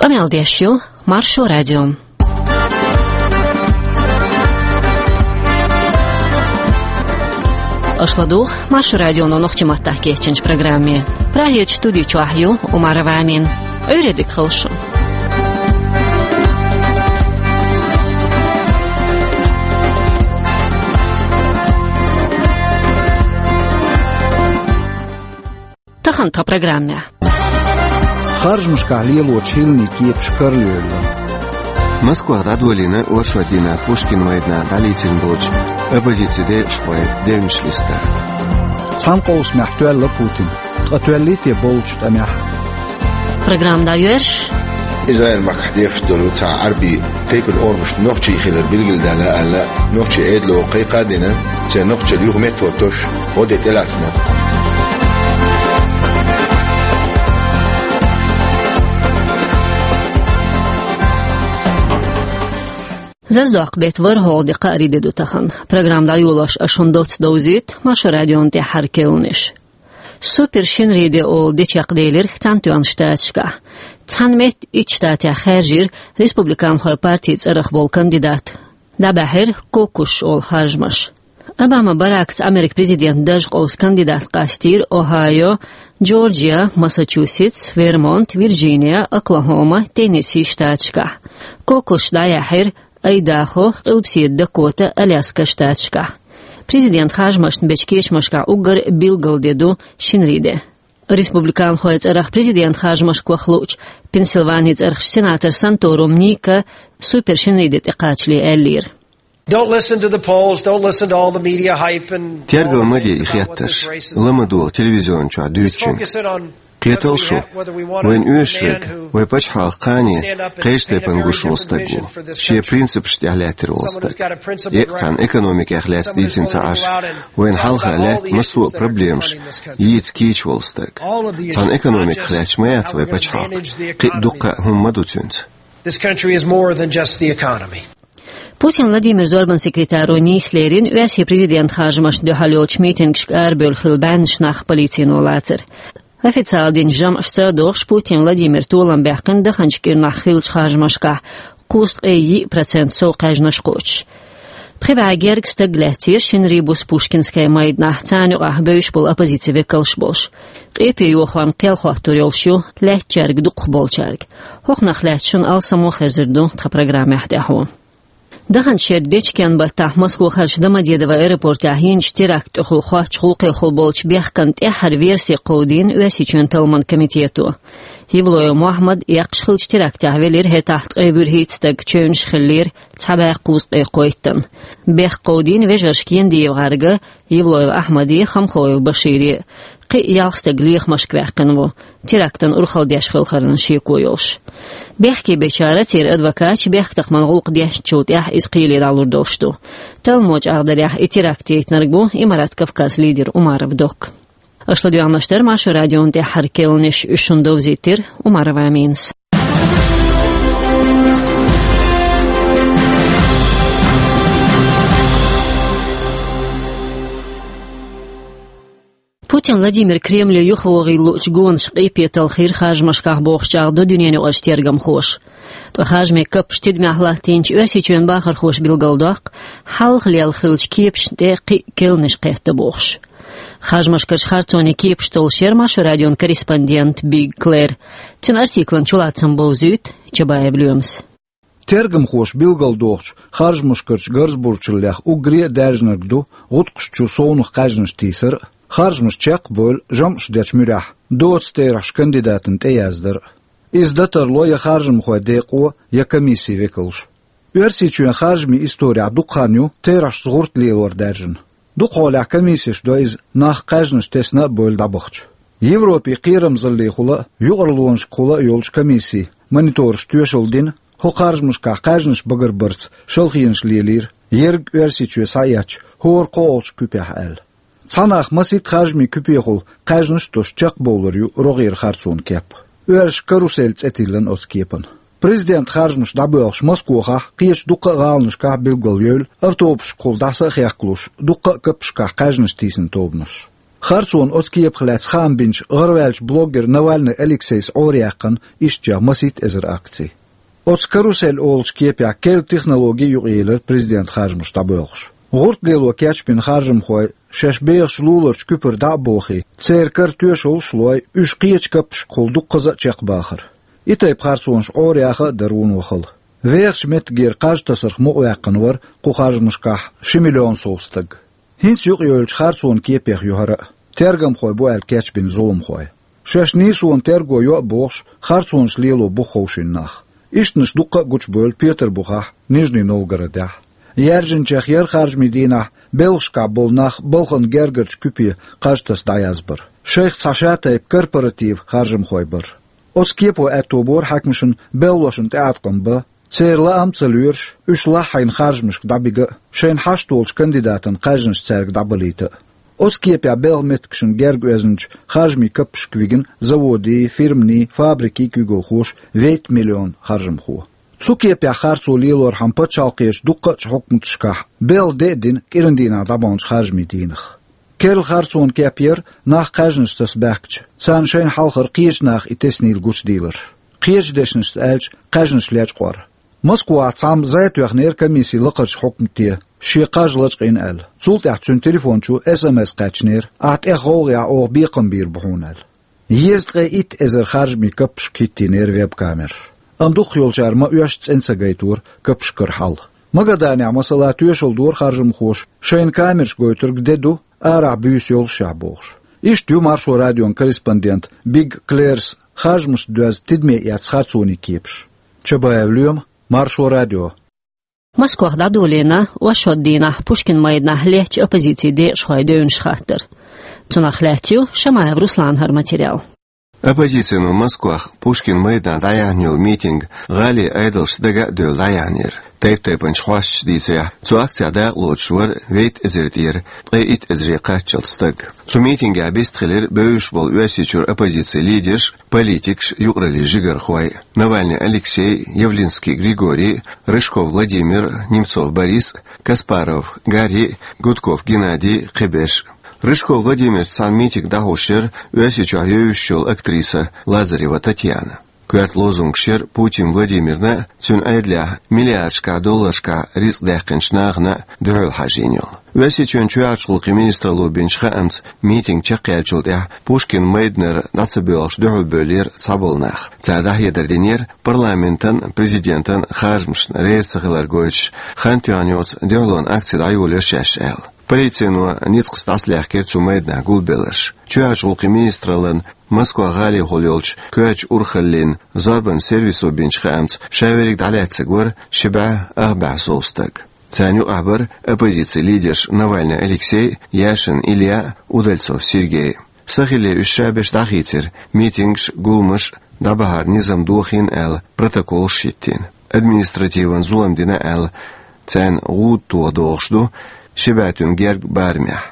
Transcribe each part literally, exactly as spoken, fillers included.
Къамел деш ю Маршо радио. Аша ладугӀу Маршо радионо нохчийн маттахь кечйинчу программе. Прагерчу студи чохь ю Умарова Амина. Ӏуьйре дика хуьлда шун. Тахана тхан программехь. Харжамашкахь лелочу хӀиллан кепаш карайолура. Москвахь дӀадолийна оршотдийнахь Пушкин майданахь дӀалецна болчу оппозицин декъашхойн девнаш листа. Цхьана къовсамехь тоьлла Путин, ткъа тоьллий те болчу тӀамехь? Программа дӀайоьрзуш. Израиль-махкахь дехаш долу цхьа Ӏаьрбийн тайпана орамаш нохчийн хилар билгалдаьлла аьлла, нохчийн Ӏедало кхайкха а дина, церан нохчалла юха меттахӀоттош гӀо де тӀелаьцна. Зазадоккху беттан ворхӀалгӀа де, кхаарин де ду тахана. Программа дӀайолош аша шуна доцца довзуьйту Маршо радион тӀаьххьара керланаш. Супер-шинарин де олу де чекхделира Цхьаьнатоьхначу Штаташкахь. Цхьана метта итт штатехь хаьржира республиканхойн партин цӀарах волу кандидат. ДӀабаьхьира кокушаш олу харжамаш. Обама Баракца Америкин президентан даржа къовса кандидат къастийра Охайо, Джорджия, Массачусетс, Вермонт, Вирджиния, Оклахома, Теннесси штаташкахь. Кокушаш дӀаяьхьира Айдахо, Къилбаседа Дакота, Аляска штаташкахь. Президентан харжамашна бечу кечамашкахь уггар билггал де ду шинарин де. Республиканхойн цӀарах президентан харжамашка ваха луучу Пенсильванин цӀарахчу сенатор Санторум Ника супер-шинарин де тӀекхачале аьллера: Don't listen to the polls, don't listen to all the media hype and Тергал ма де и хеттарш, ла ма долу телевизион чохь дуьйцучуьнга. Кхеталаш шу, вайна оьшуш верг вай пачхьалкхан кхане кхечу тайпана гуш волу стаг ву, шен принципаш тӀехь лаьттина волу стаг. Эккъа цхьана экономикех лаьцна дийцина ца Ӏаш, вайна хьалха лаьтта массо а проблемаш йийца кийча волу стаг. Цхьана экономиках лаьтташ ма яц вай пачхьалкх, кхин а дуккха а хӀума ма ду цуьнца. This country is more than just the economy. Путин Владимиран зорбанан секретаро нийса лерина оьрсийн президентан харжамашна дуьхьал йолчу митингашка арабевлла хилла бӀеннаш нах полицино лацар. Официалан динчу жамӀашца а догӀуш, Путин Владимира толам баьккхина даханчу кӀирнахь хиллачу харжамашкахь кхузткъе йиъ процент сов кхаьжнаш кхочуш. Пхи бӀе гергга стаг лаьцнера шинарин буса Пушкинская майданахь, царна юкъахь бевзаш болу оппозицин векалш болуш. Къепе йохорна кхел хоттур йолуш ю лаьттачаьрга дукхахболчаьрга. ХӀокхунах лаьцна шуна алсам а хезар ду тхан программехь тӀаьхьо. Даханчу шеран дечкен-баттахь Москвахарчу Домодедово аэропортехь йинчу терактан тӀехула хоттучу гӀуллакхехула болчу бехкан тӀаьххьара верси кховдийна Оьрсийчоьнан талламан комитето. Евлоев Мохьмад эккхаш хиллачу терактехь велира хӀетахь ткъе вуьрхӀитта стаг, чевнаш хиллера цхьа бӀе кхузткъе кхойттан. Бехк кховдийна вежаршка Яндиев ГӀарга, Евлоев Ахьмаде, Хамхоев Башире. Кхин а ялх стаг лехамашка ваьккхина ву, терактан урхалла деш хиларна шеко йолуш. Бехке бечара, церан адвокаташа, бехктакхаман гӀуллакх дешначул тӀаьхьа иза кхеле дӀалур долуш ду. Талламо чӀагӀдарехь, и теракт яйтинарг ву Имарат Кавказ лидер Умаров Док. Аша ладоьгӀнарш дара Маршо радион тӀаьххьара керланаш, уьш шуна довзийтира Умарова Аминас. Путин Владимир Кремле юхавогӀийла луучу гонашка къепе талхийра харжамашкахь бохуш чӀагӀдо дуьненаюкъарчу тергамхоша. Ткъа харжамийн каппаш тидамехь латтийначу Оьрсийчоьнан бахархоша билгалдоккху, хьалха лелла хиллачу кепашна тӀе кхин а керланаш кхетта бохуш. Харжамашкарчу харцонийн кепаш толлуш яра Маршо радион корреспондент Биг Клэр. Цуьнан артиклан чулацам бовзуьйту Чабаев Лоьмас. Тергамхоша билгалдохучу харжамашкарчу гарзабурчаллех уггаре а даьржинарг ду гӀутакхаш чу совнаха кхаьжнаш тийсар а, харжамаш чекхбевлла жамӀаш дечу муьрехь доцу терахьаш кандидатана тӀеяздар а. Иза дан тарло я харжамхойн декъо, я комиссин векалш. Оьрсийчоьнан харжамийн исторехь дукха хан ю терахьашца гӀурт лелор даьржина. Дукхахьолехь комиссеш до иза, нах кхаьжнаш тесна а бевлла дӀабахча. Европин кхерамзаллехула а, юкъараллашкахула а йолчу комиссийн монитораша тоьшалла дина, хӀокху харжамашкахь кхаьжнаш багарбарца шалхенаш лелийра, ерриг Оьрсийчоь схьаэцча, хӀора кхоалгӀачу куьпехь аьлла. Цхьа нах масийтта харжамийн куьпехула кхаьжнаш а тосуш чекхбовлар ю рогӀера харцонан кеп. Оьрсаша карусель цӀе тиллина оцу кепана. Президентан харжамаш дӀабоьлхуш Москвахахь, кхечу дуккха а гӀаланашкахь билгалйевлла, автобусашкахула дӀаса а хехкалуш, дуккха а каппашкахь кхаьжнаш тийсина тобанаш. Харцонан оцу кепах лаьцна хаам бинчу гӀараваьллачу блогер Навальный Алексейс Ӏораяьккхина ишттачех масийтта эзар акций. Оцу «Карусель» олучу кепехь керла технологи юкъаелира президентан харжамаш дӀабоьлхуш. ГӀуртӀ лело кечбина харжамхой шаьш бехачу луларчу куьпара дӀа а бохий, церан кара тоьшаллаш а лой, уьш кхечу каппашкахула дуккхаза а чекхбахара. И тайпа харцонаш Ӏораяха а дара вуно хала. Вехачу меттигера кхаж тасарх мукъаваьккхина вара кху харжамашкахь ши миллион сов стаг. ХӀинца юкъайовлучу харцонан кепех ю хӀара а. Тергамхой бу аьлла кечбина зуламхой. Шаьш нийсонан терго йо а бохуш, харцонаш лело бу ховшийна нах. Ишттанаш дуккха а гучубевлла Петарбухахь, Нижний Новгородехь. Яьржинчех яра харжамийн дийнахь белхашкахь болу нах балхана гергарчу куьпе кхаж таса дӀаязбар. Шайх цхьа шатайпа корпоратив харжамхой бара. Оцу кепо аьтто бора хьаькамашна белхалошна тӀеӀаткъам бан, церан лаам а ца лоьруш, уьш лаххьийна харжамашка дӀабига а, шайна хьашт волчу кандидатан кхаьжнаш цаьрга дӀабалийта а. Оцу кепехь белхан меттигашна герга оьзначу харжамийн каппашка вигна заводийн, фирманийн, фабрикийн куьйгалхоша вейтта миллион харжамхо. Цу кепехь харцо лелорхьама пачхьалкхерчу дуккхачу хьукматашкахь белхан де а дина кӀиран дийнахь дӀабаханчу харжамийн дийнах. Керла харцонан кеп яра нах кхаьжнаш таса баьхкича, царна шайна хьалхара кхечу наха и теснийла гучудийларш. Кхечу дешнашца аьлча, кхаьжнаш лечкъор. Москвахь цхьамма зӀе тоьхнера комиссин лакхарчу хьукмате, шен кхаж лачкъийна аьлла. Цул тӀаьхьа цуьнан телефон чу эс эм эс кхаьчнера: «Ахь тӀех гӀовгӀехь оха бекхам бийр бу хьуна», — аьлла. Еза ткъе итт эзар харжамийн каппашка хӀиттийнера веб-камераш. Амма дукхахйолчара ма-оьшшу цӀена ца гайтора каппашкара хьал. Магаданехь, масала, тоьшалла дора харжамхоша, шайна камераш гойтург де ду, арахь буьйса йолушехь бохуш. Иштта ю Маршо радион корреспондент Биг Клерс харжамашца доьзна тидаме эцна харцонийн кепаш. Чабаев Лоьма, Маршо радио. Москвахь дӀадолийна оршот дийнахь Пушкин майданахь леттачу оппозицин декъашхойн девнаш хаттар. Цунах лаьцна ю Шамаев Русланан хӀара материал. Оппозицино Москвахь Пушкин майданахь дӀаяьхьна йолу митинг гӀалин Ӏедалша дага а девлла дӀаяьхьнера. Тайп-тайпанчу хьосташа дийцарехь, цу акцехь дакъалоцуш вара вейтта эзар тӀера ткъе итт эзаре кхаччалц стаг. Цу митингехь вистхилира бевзаш болу Оьрсийчуьра оппозицин лидерш, политикаш, юкъараллин жигархой: Навальный Алексей, Явлинский Григорий, Рыжков Владимир, Немцов Борис, Каспаров Гарри, Гудков Геннадий, кхиберш. Рыжков Владимирца цхьаьна митинг дӀахьош яра Оьрсийчохь евзаш йолу актриса Лазарева Татьяна. Коьрта лозунгаш яра Путин Владимирна, цуьнан Ӏедалехь миллиардашкахь долларшкахь рицкъ даьккхинчу нахана дуьхьал хьажийна йолу. Оьрсийчоьнан чоьхьарчу гӀуллакхийн министралло бинчу хаамца, митинг чекхъяьллачул тӀаьхьа Пушкин майданара дӀа ца боьлхуш дуьхьал бевллера цхьаболу нах. Цара дӀахьедар динера парламентан, президентан харжамашна реза ца хилар гойтуш, хан тоьхна йоцу дуьхьалонан акци дӀайолийра шаьш аьлла. Полицино ницкъаца дӀасалаьхкира цу майданахь гулбелларш. Чоьхьарчу гӀуллакхийн министраллан Москва гӀалахула йолчу коьртачу урхаллин зорбанан сервисо бинчу хаамца, ша верриг дӀалаьцнарг вара ши бӀе ах бӀе сов стаг. Царна юкъахь бара оппозицин лидерш Навальный Алексей, Яшин Илья, Удальцов Сергей. Сахилле уьш шаберш дӀахийцира, митингаш, гуламаш дӀабахьар низам дохийна аьлла, протоколаш хӀиттийна. Административан зулам дина аьлла, царна гӀуда тоха догӀуш ду ши бӀе туьма герга барамехь.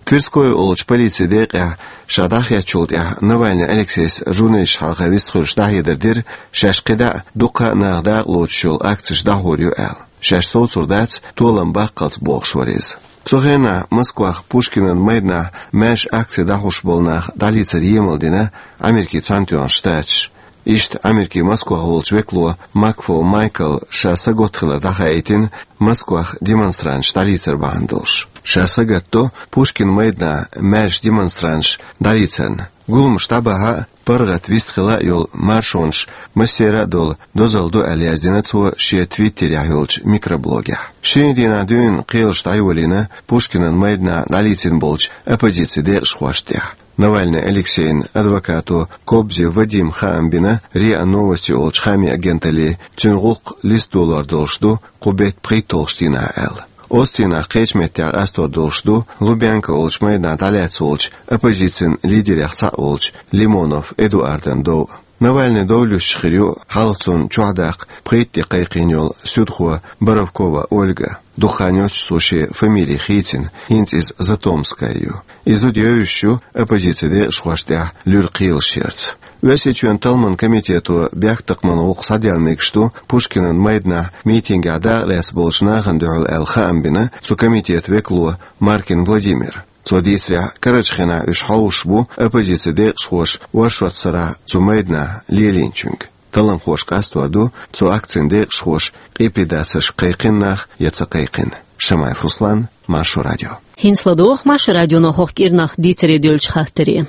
Тверской олучу полицин декъехь ша дӀахецначул тӀаьхьа Навальный Алексейс журналисташна хьалха вистхуьлуш дӀахьедар дира, шаьш кхидӀа а, дуккха а наха дакъалоцуш йолу акцеш дӀахьур ю аьлла. Шаьш совцур дац, толам баккхалц бохуш вара иза. Цу хенахь Москвахь Пушкинан майданахь маьрша акци дӀахьош болу нах дӀалийцар емал дина Америкин Цхьаьнатоьхна Штаташа. Иштта Америкин Москвахь волчу векало Макфол Майкла ша сагатта хилар дӀахаийтина Москвахь демонстранташ дӀалийцар бахьана долуш. Ша сагатдо Пушкин майданахь маьрша демонстранташ дӀалийцарна. Гуламаш дӀабахьа а, паргӀат вистхила а йолу маршонаш массеран а долу дозалла ду аьлла яздина цо шен Твиттерехь йолчу микроблогехь. Шинарин дийнахь дуьйна кхелаш дӀайолийна Пушкинан майданахь дӀалийцина болчу оппозицин декъашхошна тӀехь. Навальный Алексейн адвокато Кобзев Вадима хаам бина РИА Новости олучу хаамийн агенталле, цуьнан гӀуллакх листа долор долуш ду кху беттан пхийтталгӀачу дийнахь аьлла. Оцу дийнахь кхечу меттехь къастор долуш ду Лубянка олучу майданахь дӀалаьцна волчу оппозицин лидерех цхьаъ волчу Лимонов Эдуардан дов. Навальный дов луьстуш хир ю хьалха цунна чохь даккха пхийтта де кхайкхийна йолу суьдхо Боровкова Ольга. Дукха хан йоццуш цо шен фамили хийцина, хӀинца иза Затомская ю. И зуда евзаш ю оппозицин декъашхошна тӀехь луьра кхелаш ярца. Оьрсийчоьнан талламан комитето бехктакхаман гӀуллакх схьаделла мегаш ду Пушкинан майданахь митингехь дакъалаьцна болчу нахана дуьхьал аьлла хаам бина цу комитетан векало Маркин Владимира. Цо дийцарехь, карарчу хенахь уьш хьовсуш бу оппозицин декъашхоша оршот сарахь цу майданахь лелийначуьнга. Талламхоша къастор ду цу акцин декъашхоша къепедацаршка кхайкхина нах я ца кхайкхина. Шамаев Руслан, Маршо радио. ХӀинца ладогӀа Маршо радионо хӀокху кӀирнах дийцаре девллачу хаттаре.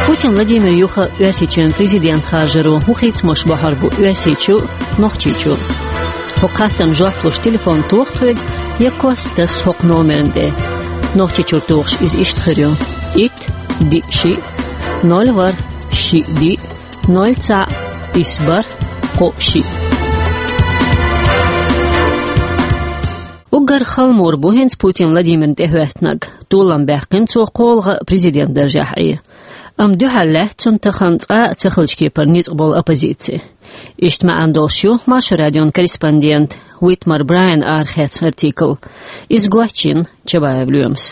Путин Владимир юха Оьрсийчоьнан президент харжаро хӀун хийцамаш бохьур бу Оьрсийчу а, Нохчийчу а? ХӀокху хаттарна жоп луш телефон тоха тхоьга я кост таса хӀокху номерна тӀе. Нохчийчуьра тухуш иза иштта хир ю: итт, диъ, шиъ, ноль, ворхӀ, шиъ, диъ, ноль, цхьаъ, исс, бархӀ, кхоъ, шиъ. Уггар хала мур бу хӀинца Путин Владимирна тӀехӀоьттинарг. Толам баьккхина цо кхоалгӀа президент даржехь Ӏе. Амма дуьхьал лаьтта цунна тахана цкъа а ца хиллачу кепара ницкъ болу оппозици. Иштта маьӀна долуш ю Маршо радион корреспондент Витмар Брайан арахецна артикл. Иза гочйина Чабаев Лоьмас.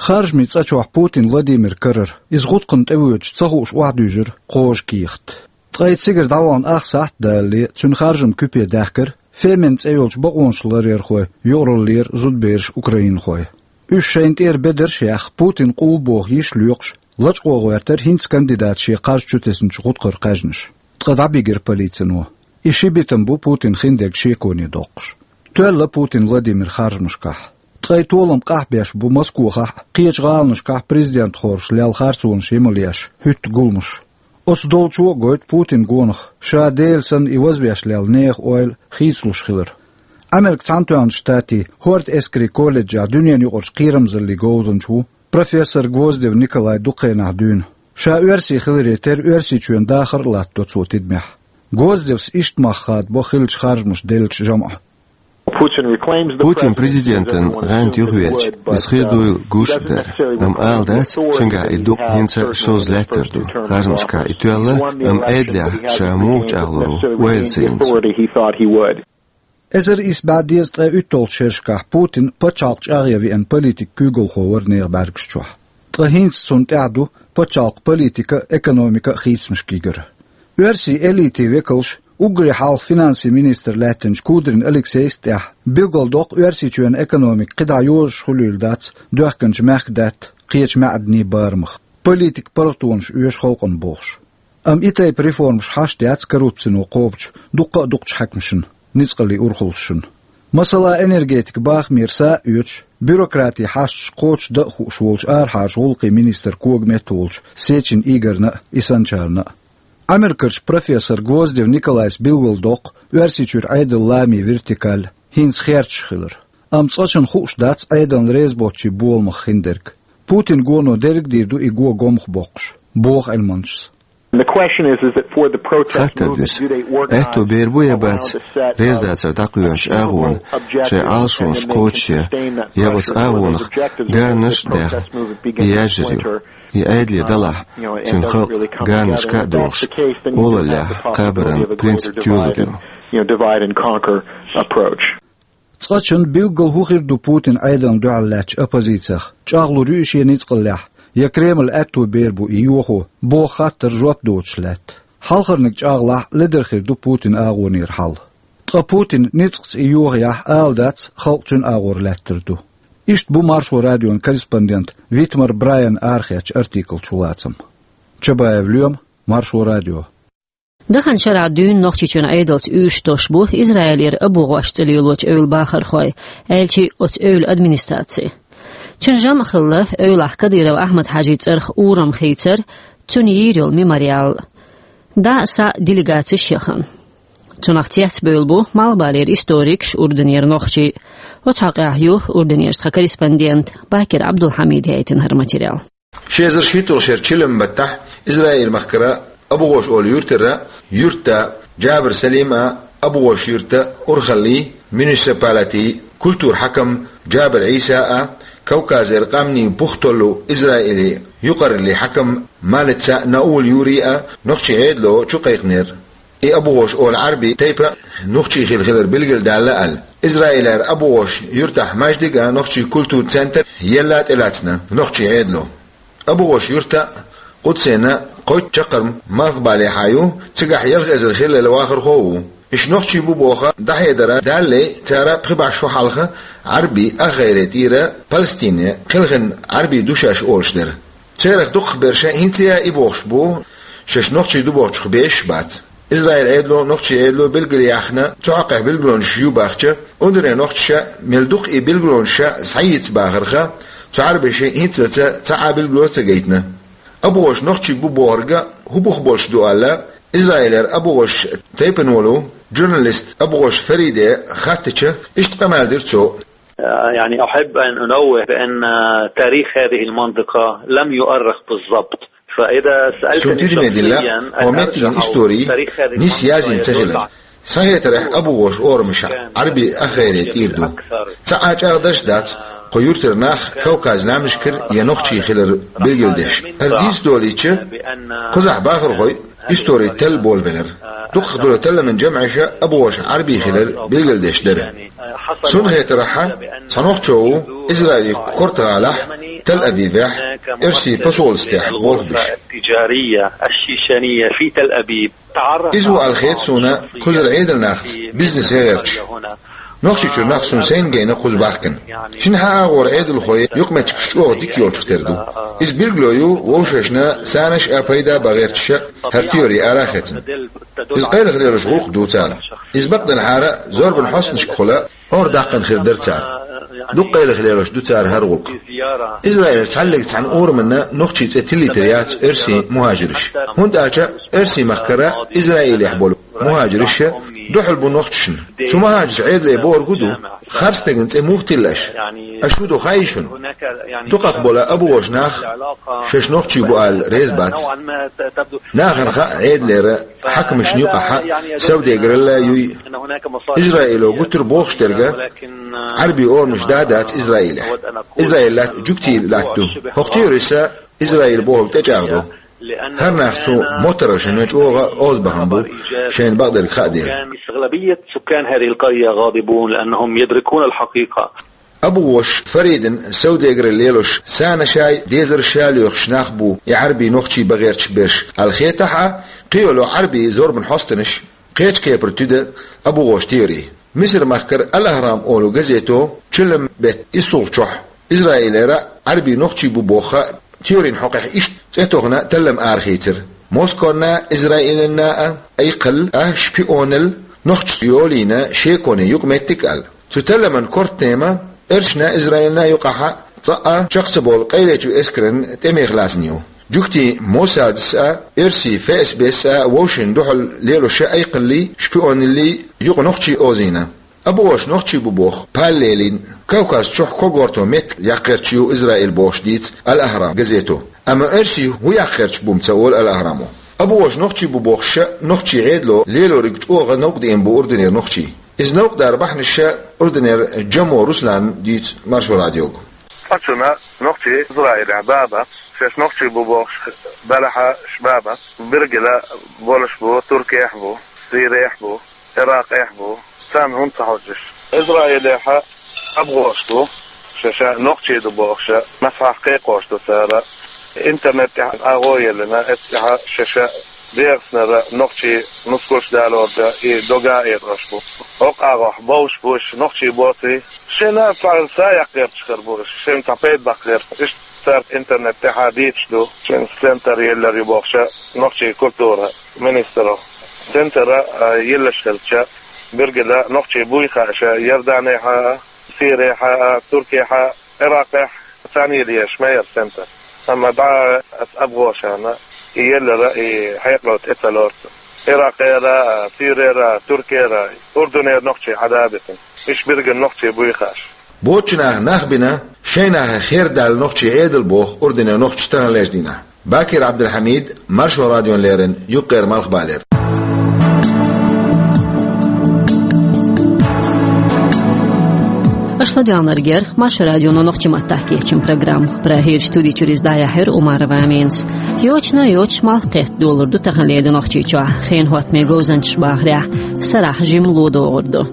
Харжамийн цӀа чохь Путин Владимир карара, иза гӀутакхана тӀевоьдуш ца хууш охьадуьйжира кхожа кехат. Ткъа и цигара дӀавахана ах сахьт а далале, цуьнан харжамна куьпе даьхкира фемина цӀе йолчу бакъонашларъярхойн юкъараллера зудабераш, украинхой. Уьш шайна тӀера бедарш а яьхна, Путин къулбоху йиш лоькхуш, лачкъо гӀоьртира хӀинца кандидата шен кхаж чу тесначу гӀутакхара кхаьжнаш. Ткъа дӀабигира полицино. И ши битам бу Путина хиндерг шеконе доккхуш. Тоьлла Путин Владимир харжамашкахь. Ткъа и толам къахьбеш бу Москохахь а, кхечу гӀаланашкахь президент хоржуш лелла харцонаш йимал еш хӀуьтту гуламаш. Оцу долчо а гойту Путин гонах, ша Дела санна и вазвеш лелла нехан ойла хийцалуш хилар. Американ Цхьаьнатоьхначу Штатийн хӀорда эскарийн колледжехь дуьненаюкъарчу кхерамзаллин говзанча ву профессор Гвоздев Николай дукха хенахь дуьйна. Ша оьрси хиларе терра Оьрсийчоьнан дахар а латтадо цо тидамехь. Гвоздевс иштта мах хадабо хиллачу харжамаша деллачу жамӀа. Путин президентан гӀанта юхавеача, иза хир дуйла гуш а дара. Амма ала дац, цуьнгахь и дукъ хӀинца а шозза лаьттар ду. Харжамашкахь и тоьлла, амма Ӏедалехь ша муха чӀагӀлур ву, ойла ца йинчу. Эзар исс бӀе дезткъе уьтталгӀачу шерашкахь Путин пачхьалкх чӀагӀъян веана политикан куьйгалхо вара нехан бӀаьргаш чохь. Ткъа хӀинца цунна тӀехь ду пачхьалкхан политика а, экономика а хийцамашкара. Оьрсийн элитин векалш, уггаре хьалха финансийн министр лаьттинчу Кудрин Алексейс а тӀехь, билгалдоккху Оьрсийчоьнан экономика кхидӀа йозуш хуьлийла дац доьхкинчу мехкадаьтта, кхечу маьӀданийн барамах, политикан паргӀатонаш оьшу халкъана бохуш. Амма и тайпа реформаш хьашт яц коррупцино кхобучу дуккха а дукхачу хьаькамашна, ницкъаллин урхаллашна. Масала, энергетикан бахамера са а оьцуш, бюрократин хьашташ кхочушдан а хууш волчу арахьарчу гӀуллакхийн министран когаметта волчу Сечин Игорьна а, и санначарна а. Америкерчу профессор Гвоздев Николайс билгалдоккху Оьрсийчуьра Ӏедалан ламийн вертикаль хӀинца херчаш хилар. Амма цкъачунна хууш дац Ӏедална реза боцчийн боламах хиндерг. Путинан гоно дерриг а дийр ду и го гомах боккхуш, боху Ӏилманчас. Хаттар дуьсу: аьтто бер бу я бац, резадацар дӀакхоьхьучу агӀона шайн Ӏалашонаш кхочушъян, я оцу агӀонах гарнаш а даьхна, и яьржар ю, и Ӏедале далахь, цуьнан халкъ гарнашка а дохуш, олаллехь кхабаран принцип тоьлур ю. Цкъачунна билггал хӀун хир ду Путинан Ӏедална дуьхьал лаьттачу оппозицех? ЧӀагӀлур ю и шен ницкъаллехь, я Кремль аьтто бер бу и йохо, боху хаттарна жоп доцуш лаьтта? Хьалхарниг чӀагӀлахь, ледара хир ду Путинан агӀонера хьал. Ткъа Путин ницкъаца и йохаяхь, ала дац, халкъ цуьнан агӀор лаьттар ду. Иштта бу Маршо радион корреспондент Витмар Брайан арахецначу артиклан чулацам. Чабаев Лоьма, Маршо радио. Даханчу шарахь дуьйна Нохчийчоьнан Ӏедалца уьйраш тосуш бу Израилера обогӀош цӀе лелочу эвлан бахархой, аьлча а оцу эвлан администраци. Цуьнан жамӀ хилла эвлахь Кадыров Ахьмад-Хьаьжин цӀарах урам хийцар, цунна йийр йолу мемориал. ДӀа а, схьа а делегацеш яхана. Цунах цецбевлла бу Малхбалера историкаш, Урданера нохчий. Оцу хьокъехь ю Урданерчу тхан корреспондент Бакир Ӏабдулхьамида яийтина хӀара материал. Ши эзар шийтталгӀачу шеран чиллан баттахь Израиль-махкара ОбогӀош олу юьртара юьртда Джабар Салим а, ОбогӀош-Юьртан урхаллин муниципалитетан культуран хьаькам Джабар Ӏийса а, Кавказера къаьмнийн пух толлу Израилан юкъараллин хьаькам Малица Наул Юри а нохчийн Ӏедало чукхайкхинера. И ОбогӀош олу Ӏаьрбийн тайпа нохчийн хилла хилар билгалдаьлла аьлла. Израилера ОбогӀош-Юьртахь маьждиг а, нохчийн культуран центр а елла тӀелаьцна нохчийн Ӏедало. ОбогӀош-Юьртан а, Къудсенан а кхойтта чаккхарма Малхбалехьа ю, цигахь ялх эзар хиллал вахархо а ву. Уьш нохчий бу бохуш дӀахьедар далале, цара пхи бӀе шо хьалха Ӏарбий ахгӀайре тӀера Палестине кхелхина Ӏарбий ду шаьш олуш дара. Церах дукхах берш хӀинца а и бохуш бу, шаьш нохчий ду бохучух безаш бац. Израиль Ӏедало, нохчий Ӏедало билгалъяьхна, цу хьокъехь билгалонаш ю бахча, ундуре нохчаша мел дукха и билгалонаш схьайийца бахарха, цу Ӏарбаша хӀинцалца цхьа а билгало а ца гайтина. АбугӀош нохчий бу бохург хӀун бух болуш ду аьлла, Израилера АбугӀош тайпана волу журналист АбугӀош Фариде хаттача, иштта къамел дира цо. يعني، أحب أن أنوه بأن تاريخ هذه المنطقة لم يؤرخ بالضبط. فإذا سألتني شخصيًا أن أرجع أو تاريخ هذه المنطقة يدل على Суна тидаме дилла, хьо меттиган истори нийса язйина ца хилла. Сан хетарехь, АбугӀош орамашкахь Ӏарбий ахгӀайре тӀера ду. Цхьа а чӀагӀдарш дац кху юьртара нах Кавказан лаьмнашкара я нохчий хилар билгалдеш. ХӀара дийца долийча, кхузахь бахархой истори талла болабелира. Дукхах долу талламан жамӀаша АбугӀош Ӏарбий хилар билгалдеш дара. Суна хетарехь, цхьа нохчо ву Израилан коьрта гӀалахь Тел-Авивехь оьрсийн посольствехь болх беш. Иза ву аьлла хета суна кхузара Ӏедалнахца бизнесе гӀерташ. Нохчийчуьра нах суна сайна гайна кхуза бахкана. Шина хьан агӀора Ӏедалхой юкъаметтигаш чӀогӀа дика йолчух тера ду. Иза билгало ю вовшашна санаш а, пайда а бан гӀерташ хӀара теори ара а хецна. Иза къайлаха лелош гӀуллакх ду цара. Иза бакъдолчухьара зорбан хьостанашкахула Ӏор даккхана хир дара цара. Дукха къайлаха лелош ду цара хӀара гӀуллакх. Израилера цхьаллиг цхьана ураманна нохчий цӀе тиллийтар яц оьрсийн мухӀажирш. ХӀунда аьлча оьрсийн махкара Израилехь болу мухӀажирш дуьхьал бу нохчашна. Цу мухӀажирш Ӏедале бохург хӀун ду, харцдеран цӀе муха тилла аша? Аша хӀун ду хаий шуна? Дукхах болу АбугӀош нах шаьш нохчий бу аьлла реза бац. Нахана хаьа Ӏедалера хьаькамашна юкъахь севдегаралла юй. Израило гуттар а бохуш дерг Ӏарбийн орамаш да а дац Израилехь. Израил латта жуьгтийн латта ду. ХӀокху теорица Израил бохург тӀечӀагӀдо. ХӀара нах цу моттаргӀашна чӀогӀа озабахана бу, шайна бакъдерг хаа дела. أغلبية سكان هذه القرية غاضبون لأنهم يدركون الحقيقة. АбугӀош Фаридан севдегаралла лелош санашай, дезаршай лоьхуш нах бу и Ӏарбий нохчий бан гӀерташ берш аьлла хетахь а, кхин йолу Ӏарбийн зорбан хьостанаш кхечу кепара туьду АбугӀош теори. Мисар-махкара Ал-Ахрам олу газето чуллам беттан иссалгӀачохь Израилера Ӏарбий нохчий бу бохуш теорин хьокъехь иштта цӀе тохна таллам арахийцира: Москонна, Израиланна а айкхалла а, шпионалла, нохчашца йолийна шеконе юкъаметтиг аьлла. Цу талламан коьрта тема оьрсашна, Израилна юкъахь цкъа а чекх ца болу къайлечу эскаран тӀемех лаьцна ю. Жуьгтийн Моссадас а, оьрсийн ФСБ-с а вовшашна дуьхьал лелош айкхаллий, шпионаллий юкъа нохчий озийна. АбугӀош нохчий бу боху паллелин Кавказ чохь когорто меттиг яккха гӀерташ ю Израил бохуш дийца Ал-Ахрам газето. Амма оьрсий хӀун яккха гӀерташ бу-м ца олу Ал-Ахрамо. АбугӀош нохчий бу бохуш нохчийн Ӏедало лелориг чӀогӀа новкъа деана бу Урданера нохчий. Иза новкъа дар бахьанаш Урданера Джамо Руслана дийцу Маршо радиога. Цкъачунна нохчий Израилехь баба, шаьш нохчий бу бохуш белахь а ша баба, биргила болуш бу, Туркехь бу, Сирехь бу, Иракъехь бу, царна хӀунда ца хьожуш? Израилехь а абгӀош бу, шаьш нохчий ду бохуш, масхьахь кхайкхош ду цара. Интернет тӀехь агӀо еллина, эццехь шаьш дегӀаснара нохчий нускалш далорда и дога а эцош бу. ХӀокху агӀохь бовш бу уьш нохчий боций? Шайна цхьа са яккха гӀерташ хир бу уьш, шайна цхьа пайда баккха гӀерта. Иштта цара интернет тӀехь дийцуш ду, шайн центр еллар ю бохуш нохчий культура министро. Центр а, а, еллаш хилча, биргила нохчий буй хаа ша Иорданехь а, Сирехь а, Туркехь а, Иракъехь а, царна йилла еш ма яра центр. Амма дӀа аса абгӀошана и еллар а, и хьекъал тӀе ца лору. Иракъера а, Сирера а, Туркера а, Урдунера нохчий хьада а битина. Иштта биргина нохчий буй хаа ша. Боцчу наха нах бина, шайн нахах хер даьлла нохчий Ӏедал боху Урдунера нохчаша таханлерчу дийнахь. Бакир Ӏабдулхьамид, Маршо радиона леррина, Юккъера Малхбалера. Аша ладоьгӀнарг яра Маршо радионо нохчийн маттахь кечйина программа. Прагерчу студи чуьра иза дӀаяьхьира Умарова Аминас. Йочана йоцуш малх кхетта долур ду таханлера Нохчийчохь. Хенан хӀоттаме говзанчаша бахарехь, сарахь жимма ло догӀур ду.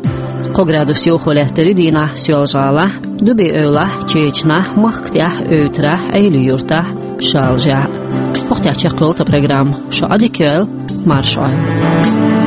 Кхо градус йовхо лаьттар ю дийнахь Соьлжа-ГӀалахь, Дуби-Эвлахь, Чечанахь, Махкатехь, Эвтарахь, Ӏелин-Юьртахь, Шалжехь. ХӀокху тӀехь чекхйолу тхан программа. Шу Ӏадика йойла, марша Ӏойла.